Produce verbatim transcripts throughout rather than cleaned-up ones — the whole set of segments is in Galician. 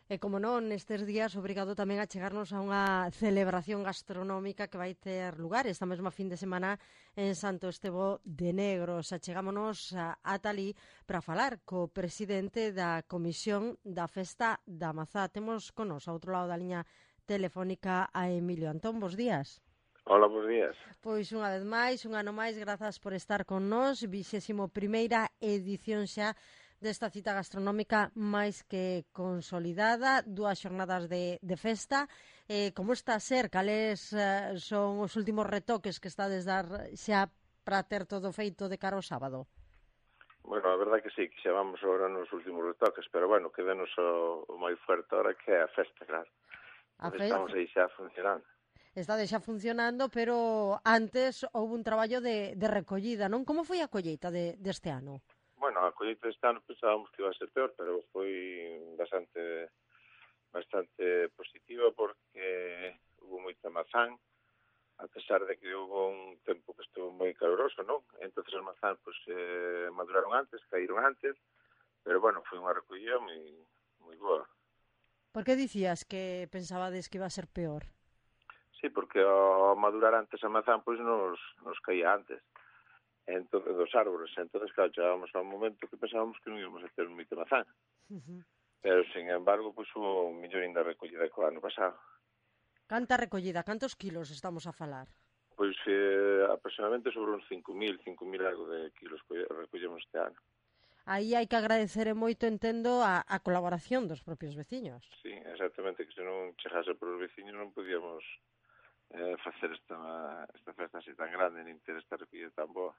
E como non, nestes días obrigado tamén a chegarnos a unha celebración gastronómica que vai ter lugar esta mesma fin de semana en Santo Estevo de Negros. Achegámonos a Atalí para falar co presidente da Comisión da Festa da Mazá. Temos con nos, ao outro lado da liña telefónica, a Emilio Antón. Bos días. Hola, bons días. Pois unha vez máis, un ano máis, grazas por estar con nós. Vixésimo primeira edición xa desta cita gastronómica máis que consolidada, dúas xornadas de, de festa. Eh, como está a ser? Cales eh, son os últimos retoques que estades dar xa para ter todo feito de cara ao sábado? Bueno, a verdade que sí, que xa vamos agora nos últimos retoques, pero bueno, quedanos o, o moi fuerte ahora que é a festa, claro. A fe... fe... Estamos aí xa funcionando. Está xa funcionando, pero antes houve un traballo de, de recollida, non? Como foi a colleita de, deste ano? Bueno, a colleita deste ano pensábamos que iba a ser peor, pero foi bastante bastante positiva porque hubo moita mazán, a pesar de que hubo un tempo que estuvo moi caloroso, non? Entonces as mazán pues, eh, maduraron antes, caíron antes, pero bueno, foi unha recollida moi, moi boa. Por que dicías que pensabades que iba a ser peor? Sí, porque ao madurar antes a mazán, pois nos, nos caía antes. Entonces, dos árboles. Entonces, claro, chegábamos a un momento que pensábamos que non íbamos a ter moita mazán. Uh-huh. Pero, sin embargo, pues, hubo un millón de recollida co ano pasado. Canta recollida? Cantos kilos estamos a falar? Pois eh, aproximadamente sobre uns cinco mil, cinco mil algo de kilos recollemos este ano. Aí hai que agradecer moito, entendo, a, a colaboración dos propios veciños. Sí, exactamente, que se non chegase por os veciños non podíamos eh, facer esta, esta festa así tan grande, nin ter esta recollida tan boa.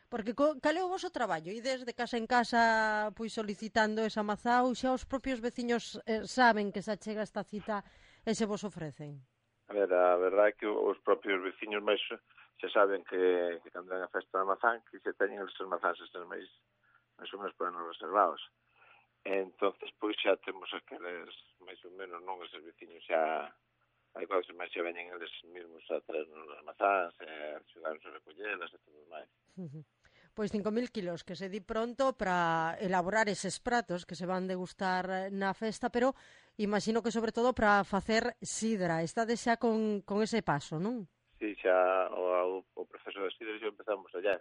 Porque cal é o voso traballo? E desde casa en casa pois solicitando esa mazá ou xa os propios veciños eh, saben que se achega esta cita e se vos ofrecen? A ver, a verdade é que os propios veciños máis xa saben que, que cando ven a festa da mazán que se teñen esos mazáns estes máis máis ou menos para nos reservados. Entonces, pois xa temos aqueles máis ou menos, non, esos veciños xa hai cousas máis xa veñen eles mesmos a traernos as mazáns e a axudarnos a recollelas e todo máis. Uh-huh. Pois cinco mil kilos, que se di pronto para elaborar eses pratos que se van degustar na festa, pero imagino que sobre todo para facer sidra. Estades xa con, con ese paso, non? Sí, xa o, o proceso da sidra xa empezamos allá.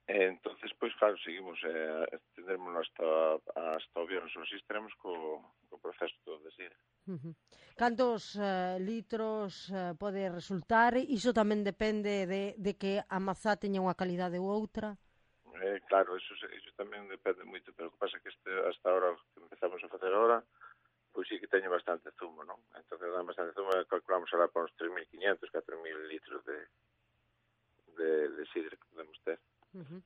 Entonces, pois, claro, seguimos, eh, tendremos hasta, hasta o viernes, así estaremos co, co proceso todo de sidra. Uh-huh. Cantos uh, litros uh, pode resultar? Iso tamén depende de, de que a mazá teña unha calidade ou outra? Eh, claro, eso, eso tamén depende moito, pero o que pasa é que este, hasta ahora que empezamos a facer ahora, pois sí que teño bastante zumo, non? Entón, dan bastante zumo, calculamos ahora para uns tres mil quinientos, catro mil litros de, de, de sidra que podemos ter. Uh-huh.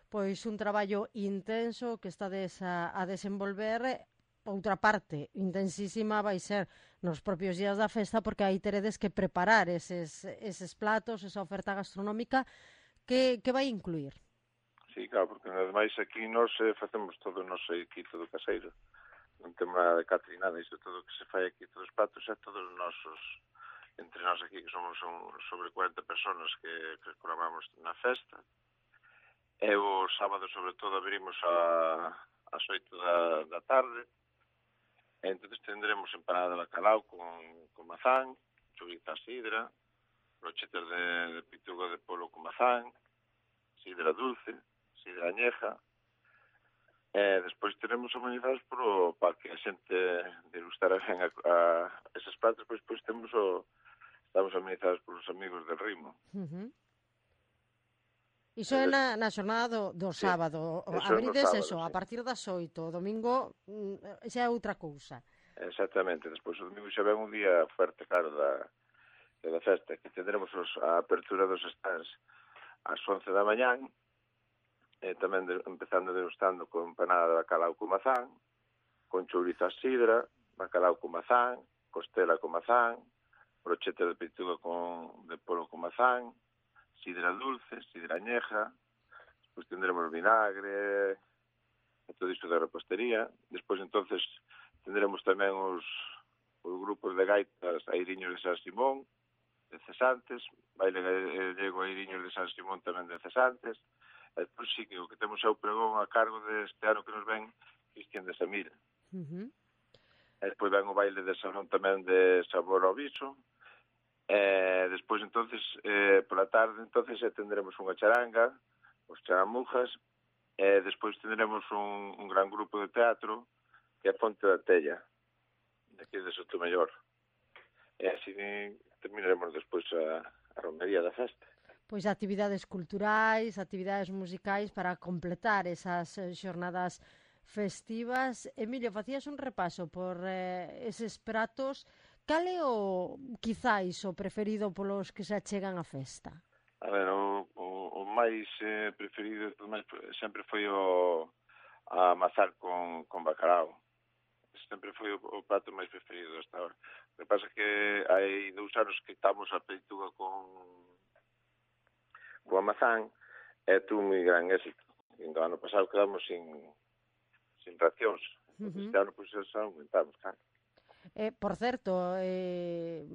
Pois un traballo intenso que estades a, a desenvolver. Outra parte intensísima vai ser nos propios días da festa, porque aí teredes que preparar eses, eses platos, esa oferta gastronómica que, que vai incluir. Sí, claro, porque ademais aquí nós eh, facemos todo o noso aquí, todo caseiro. Non temos nada de catering, nada, isto todo que se fai aquí, todos os platos, é todos os nosos, entre nós aquí, que somos un, sobre cuarenta personas que, que colaboramos na festa. E o sábado, sobre todo, abrimos a, as oito da, da tarde. Entonces tendremos empanada de bacalao con, con mazán, choriza sidra, brochetas de, de pituga de polo con mazán, sidra dulce, sidra añeja. E despois teremos amenizados pro, para que a xente degustar ben a, a eses platos, pois, pois temos o, estamos amenizados por os amigos del Rimo. Uh-huh. Iso é na, na xornada do, do sí, sábado. Abrides sábado, eso, sí. A partir das oito. O domingo xa é outra cousa. Exactamente. Despois o domingo xa ven un día fuerte, claro, da, da festa, que tendremos os, a apertura dos stands ás once da mañán, e tamén de, empezando degustando con empanada de bacalao con mazán, con chouriza sidra, bacalao con mazán, costela con mazán, brocheta de peituga con, de polo con mazán, sidra dulce, sidra añeja, despois tendremos vinagre, e todo isto de repostería. Despois, entonces, tendremos tamén os, os grupos de gaitas Airiños de San Simón, de cesantes, baile gallego Airiños de San Simón tamén de cesantes, e despois sí que o que temos é o pregón a cargo deste ano que nos ven Cristian de Samira. Uh-huh. E despois ven o baile de salón tamén de sabor ao viso. E despois, entonces, eh, pola tarde, entonces, eh, tendremos unha charanga, os charamujas, e despois tendremos un, un gran grupo de teatro que é Ponte da Tella, de aquí de Sotomayor. E así terminaremos despois a, a romería da festa. Pois actividades culturais, actividades musicais para completar esas xornadas festivas. Emilio, facías un repaso por eh, eses pratos. Cal é o, quizáis, o preferido polos que se achegan á festa? A ver, o, o, o máis eh, preferido máis, sempre foi o a mazar con, con bacalao. Sempre foi o, o prato máis preferido hasta ahora. O que pasa é que hai dous anos que estamos a peituga con con a mazán e tuvo moi gran éxito. E no ano pasado quedamos sin sin racións. Uh -huh. Este ano, pois, pues, aumentamos, claro. Eh, por certo, eh,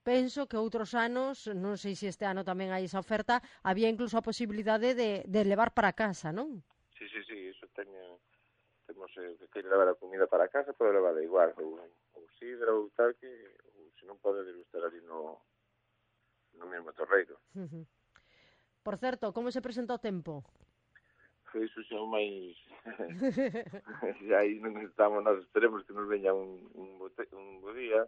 penso que outros anos, non sei se este ano tamén hai esa oferta, había incluso a posibilidade de, de levar para casa, non? Sí, sí, sí, iso teño, temos eh, que queira levar a comida para casa, pode levar igual, ou, ou sidra ou tal, que ou, se non pode degustar ali no, no mesmo torreiro. Uh -huh. Por certo, como se presenta o tempo? Foi iso xa o máis... xa aí non estamos, nós esperemos que nos veña un, un, bote, un bo día,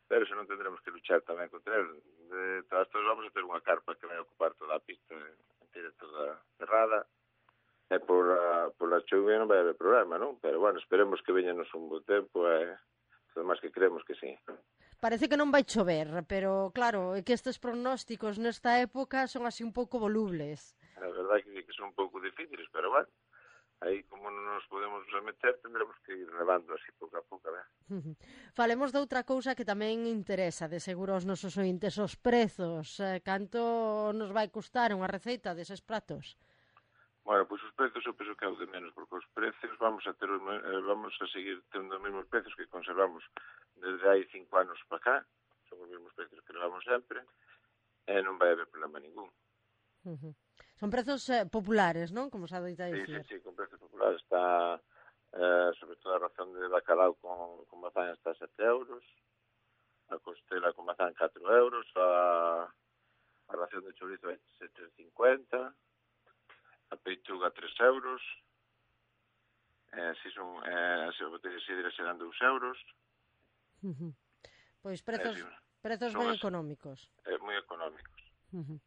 pero se non tendremos que luchar tamén contra el. De todas todas vamos a ter unha carpa que vai ocupar toda a pista, inteira toda cerrada, e por a, por a chuvia non vai haber problema, non? Pero, bueno, esperemos que veñanos un bo tempo e todo máis que creemos que sí. Parece que non vai chover, pero, claro, é que estes pronósticos nesta época son así un pouco volubles. A verdade que sí que son un pouco difíciles, pero, bueno, aí como non nos podemos remeter, tendremos que ir levando así pouco a pouco, a ver. Falemos de outra cousa que tamén interesa, de seguro aos nosos ointes, os prezos. Eh, canto nos vai custar unha receita deses pratos? Bueno, pois pues os prezos eu penso que é o de menos, porque os precios vamos a ter vamos a seguir tendo os mesmos precios que conservamos desde hai cinco anos para cá, son os mesmos precios que levamos sempre, e non vai haber problema ningún. Uh -huh. Son prezos eh, populares, non? Como se adoita dicir. Sí, sí, sí, con prezos populares. Está, eh, sobre todo, a ración de bacalao con, con mazán está a sete euros, a costela con mazán catro euros, a, a ración de chorizo é sete e cincuenta, a peituga tres euros, eh, si son, eh, se a botella de sidra serán dous euros. Uh -huh. Pois prezos, eh, sí, prezos ben económicos. Eh, moi económicos. Uh -huh.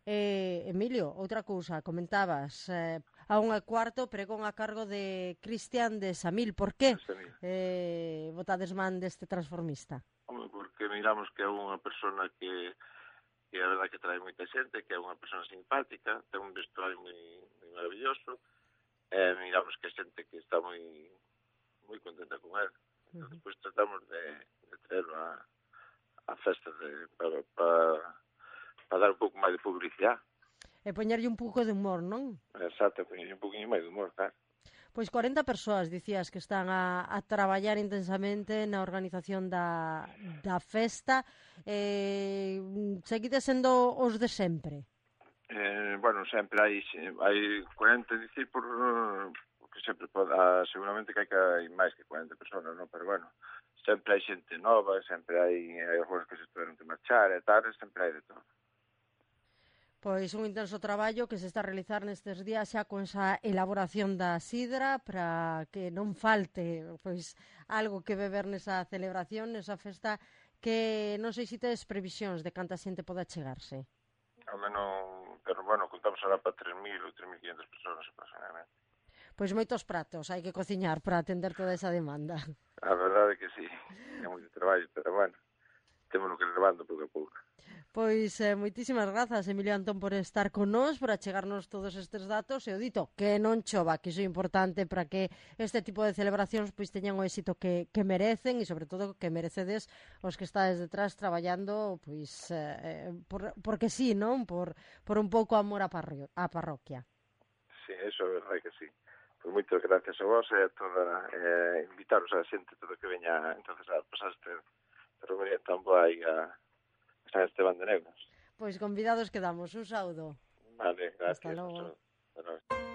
Eh, Emilio, outra cousa, comentabas, eh, a un cuarto pregón a cargo de Cristian de Samil. Por que eh, votades man deste transformista? Home, porque miramos que é unha persona que, que a verdade que trae moita xente, que é unha persona simpática, ten un vestuario moi, moi maravilloso, e eh, miramos que a xente que está moi moi contenta con él. Entón, uh -huh. Despois tratamos de, de traerlo a, a festa de, para... para para dar un pouco máis de publicidade. E poñerlle un pouco de humor, non? Exacto, poñerlle un pouquinho máis de humor, claro. Pois cuarenta persoas, dicías, que están a, a traballar intensamente na organización da, da festa. Eh, seguides sendo os de sempre? Eh, bueno, sempre hai, hai cuarenta, dicir, por, porque sempre pode, ah, seguramente que hai que hai máis que cuarenta persoas, non? Pero bueno, sempre hai xente nova, sempre hai, hai algúns que se tiveron que marchar e tal, sempre hai de todo. Pois un intenso traballo que se está a realizar nestes días xa con esa elaboración da sidra para que non falte pois algo que beber nesa celebración, nesa festa, que non sei se tedes previsións de canta xente poda chegarse. Ao menos, pero bueno, contamos ahora para tres mil ou tres mil quinhentas persoas aproximadamente. Pois moitos pratos hai que cociñar para atender toda esa demanda. A verdade é que sí, é moito traballo, pero bueno, temos que ir levando pouco a pouco. Pois eh, moitísimas grazas, Emilio Antón, por estar con nós, por achegarnos todos estes datos, e o dito, que non chova, que iso é importante para que este tipo de celebracións pois teñan o éxito que, que merecen, e sobre todo que merecedes os que estades detrás traballando, pois, eh, por, porque sí, non? Por, por un pouco amor á, parrio, á parroquia. Sí, eso é verdade que sí. Pois moitas gracias a vos e a toda, eh, invitaros a xente todo que veña entonces a pasar este romería tan boa aí a San Esteban de Negros. Pois convidados quedamos. Un saúdo. Vale, gracias. Hasta logo. Hasta logo.